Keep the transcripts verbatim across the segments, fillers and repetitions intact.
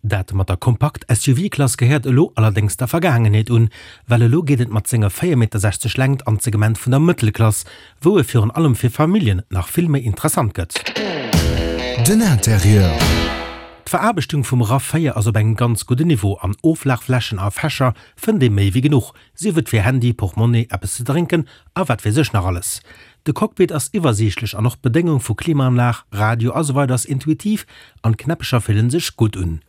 Dat mat der Kompakt-S U V-Klass gehéiert elo allerdéngs der Vergaangenheet un, well elo geet et mat senger véier Meter sechzeg Längt an d'Segment vun der Mëttelklass, wou e virun allem fir Familljen nach vill méi interessant gëtt. Den Interieur. D'Veraarbechtung vum RAV véier ass op engem ganz gudden Niveau an Oflagflächen a Fächer fënnt ee méi wéi genuch, sief et fir Handy, Portmonni, eppes ze drénken a wat weess ech nach alles. De Cockpit ass iwwersiichtlech an och d'Bedéngung vu Klimaanlag, Radio a sou weider ass intuitiv an d'Knäppecher fillen sech gutt un.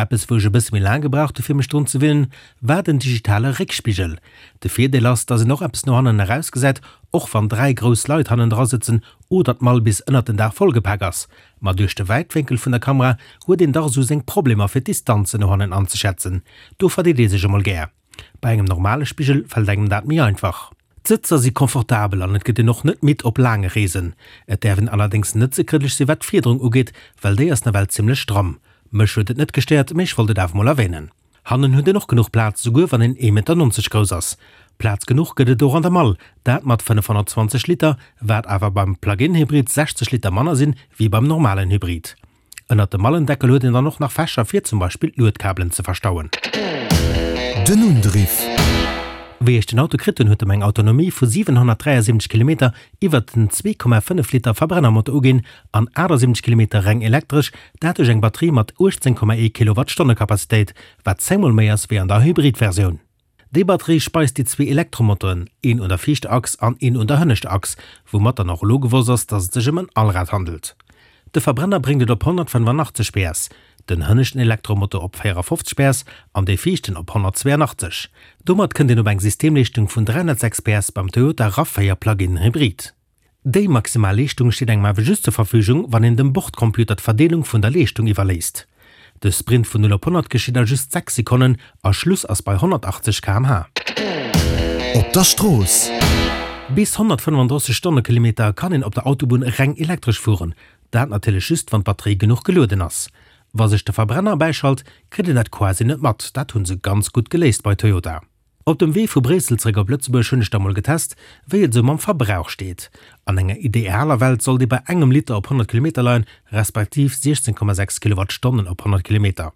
Eppes, wou ech e bësse méi laang gebraucht hu fir mech drun ze winnen, war den digitale Réckspigel. De Virdeel ass, dass een och eppes no hannen erausgesäit, och wann dräi grouss Leit hannendra sëtzen oder d'Mall bis ënnert den Daach vollgepak ass. Ma duerch de Wäitwénkel vun der Kamera huet een dach esou seng Problemer fir d'Distanzen no hannen anzeschätzen. Do verdeet ee sech emol gär. Bei engem normale Spigel fält engem dat méi einfach. D'Sëtzer si komfortabel an et gëtt een och net midd op laange Reesen. Et däerf een allerdéngs net ze kritesch si wat d'Fiederung ugeet, well déi ass nawell zimmlech stramm. Mech huet et net gestéiert, mee ech wollt et awer mol erwänen. Hannen huet een och genuch Plaz, souguer wann een ee Meter nonzeg grouss ass. Plaz genuch gëtt et och an der Mall, dat mat fënnefhonnertzwanzeg Liter, wat awer beim Plug-in-Hybrid sechzeg Liter manner sinn, wéi beim normalen Hybrid. Ënnert dem Mallendeckel huet een dann och nach Fächer fir zum Beispill d'Luedkabelen ze verstauen. Den Undriff. Wéi ech den Auto kritt hunn, huet e mer eng Autonomie vu siwenhonnertdräiasiwwenzeg Kilometer iwwert den zwee Komma fënnef Liter Verbrennermotor uginn an aachtasiewenzesch Kilometer reng elektresch, dat duerch eng Batterie mat uechtzéng Komma ee Kilowattstonne Kapazitéit, wat zéngmol méi ass wéi an der Hybrid-Versioun. Déi Batterie speist déi zwee Elektromotoren, een un der viischter Achs an een un der hënneschter Achs, woumat dann och elo gewosst ass, dass et sech ëm en Allrad handelt. De Verbrenner bréngt et op honnertfënnefanachtzeg P S, den hënneschten Elektromotor op véierafofzeg P S an dee viischten op honnertzweeanachtzeg. Domat kënnt een op eng Systemleeschtung vun dräihonnertsechs P S beim Toyota RAV véier Plug-in Hybrid. Déi maximal Leeschtung steet engem awer just zur Verfügung, wann een dem Bordcomputer d'Verdeelung vun der Leeschtung iwwerléisst. De Sprint vun null op honnert geschitt a just sechs Sekonnen a Schluss ass bei honnertachtzeg Kilometer pro Stonn. Op der Strooss. Bis honnertfënnefandrësseg Stonnekilometer kann een op der Autobunn reng elektresch fueren. Dat natierlech just, wann d'Batterie genuch gelueden ass. Wa sech de Verbrenner bäischalt, kritt een dat quasi net mat. Dat hu se ganz gutt geléist bei Toyota. Op dem Wee vu Bréissel zeréck op Lëtzebuerg hunn ech da mol getest, wéi et esou mam Verbrauch steet. An enger idealer Welt sollt ee bei engem Liter op honnert Kilometer leien, respektiv siechzéng Komma sechs Kilowattstonnen op honnert Kilometer.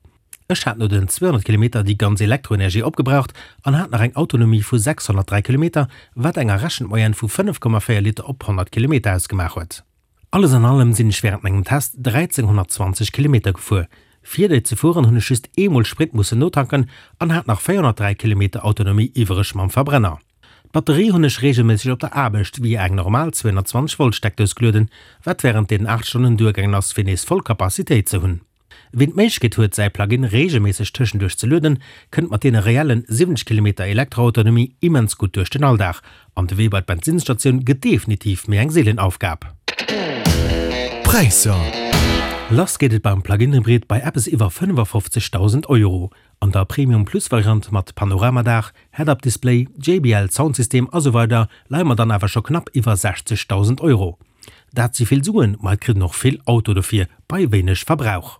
Ech hat no den zweehonnert Kilometer déi ganz Elektroenergie opgebraucht an hat nach eng Autonomie vu sechshonnertdräi Kilometer, wat eng errechent Moyenne vu fënnef Komma véier Liter op honnert Kilometer ausgemaach huet. Alles an allem sinn ech wärend mengem Test dräizénghonnertzwanzeg Kilometer gefuer. Fir déi ze fueren hunn ech just eemol Sprit mussen notanken an hat nach véierhonnertdräi Kilometer Autonomie iwwereg mam Verbrenner. D'Batterie hunn ech reegelméisseg op der Aarbecht via eng normal zweehonnertzwanzeg Volt Steckdous gelueden, wat wärend deenen aacht Stonnen duergaangen ass fir nees voll Capacitéit ze hunn. Wien d'Méiglechkeet huet säi Plug-in reegelméisseg tëschenduerch ze lueden, kënnt mat deene reellen siwwenzeg Kilometer Elektroautonomie immens gutt duerch den Alldag an de Wee bei d'Benzinnsstatioun gëtt definitiv méi eng seelen Aufgab. Präisser. Lass geet et beim Plug-in-Hybrid bei eppes iwwer fënnefafofzegdausend Euro. An der Premium Plus Variant mat Panoramadaach, Head-Up-Display, J B L Soundsystem a sou weider leie mer dann awer scho knapp iwwer sechzegdausend Euro. Dat si vill Suen, ma et kritt een och vill Auto dofir bei wéineg Verbrauch.